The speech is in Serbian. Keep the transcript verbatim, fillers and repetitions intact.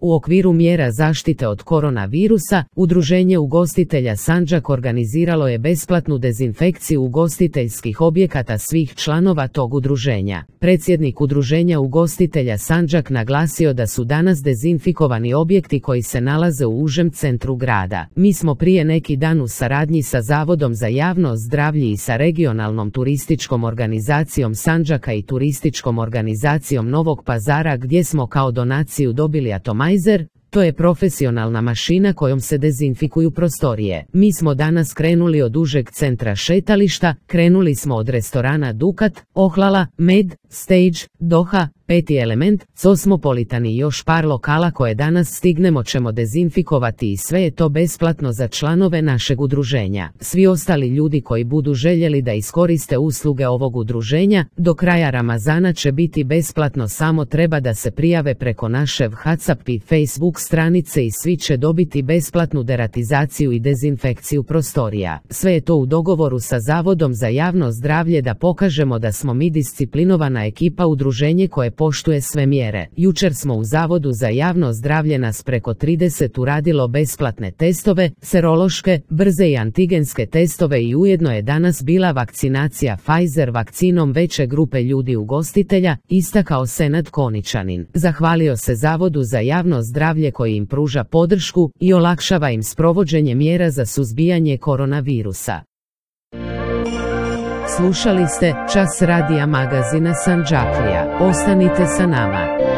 U okviru mjera zaštite od koronavirusa, Udruženje ugostitelja Sandžak organiziralo je besplatnu dezinfekciju ugostiteljskih objekata svih članova tog udruženja. Predsjednik Udruženja ugostitelja Sandžak naglasio da su danas dezinfikovani objekti koji se nalaze u užem centru grada. Mi smo prije neki dan u saradnji sa Zavodom za javno zdravlje i sa regionalnom turističkom organizacijom Sandžaka i turističkom organizacijom Novog Pazara gdje smo kao donaciju dobili atomizer. To je profesionalna mašina kojom se dezinfikuju prostorije. Mi smo danas krenuli od užeg centra šetališta, krenuli smo od restorana Dukat, Ohlala, Med, Stage, Doha, Peti element, Cosmopolitan i još par lokala koje danas stignemo ćemo dezinfikovati i sve je to besplatno za članove našeg udruženja. Svi ostali ljudi koji budu željeli da iskoriste usluge ovog udruženja, do kraja Ramazana će biti besplatno, samo treba da se prijave preko naše WhatsApp i Facebook stranice i svi će dobiti besplatnu deratizaciju i dezinfekciju prostorija. Sve je to u dogovoru sa Zavodom za javno zdravlje da pokažemo da smo mi disciplinovana ekipa, udruženje koje poštuje sve mjere. Jučer smo u Zavodu za javno zdravlje nas preko trideset uradilo besplatne testove, serološke, brze i antigenske testove i ujedno je danas bila vakcinacija Pfizer vakcinom veće grupe ljudi ugostitelja, istakao Senad Koničanin. Zahvalio se Zavodu za javno zdravlje koji im pruža podršku i olakšava im sprovođenje mjera za suzbijanje koronavirusa. Slušali ste Čas radija magazina Sandžaklija. Ostanite sa nama.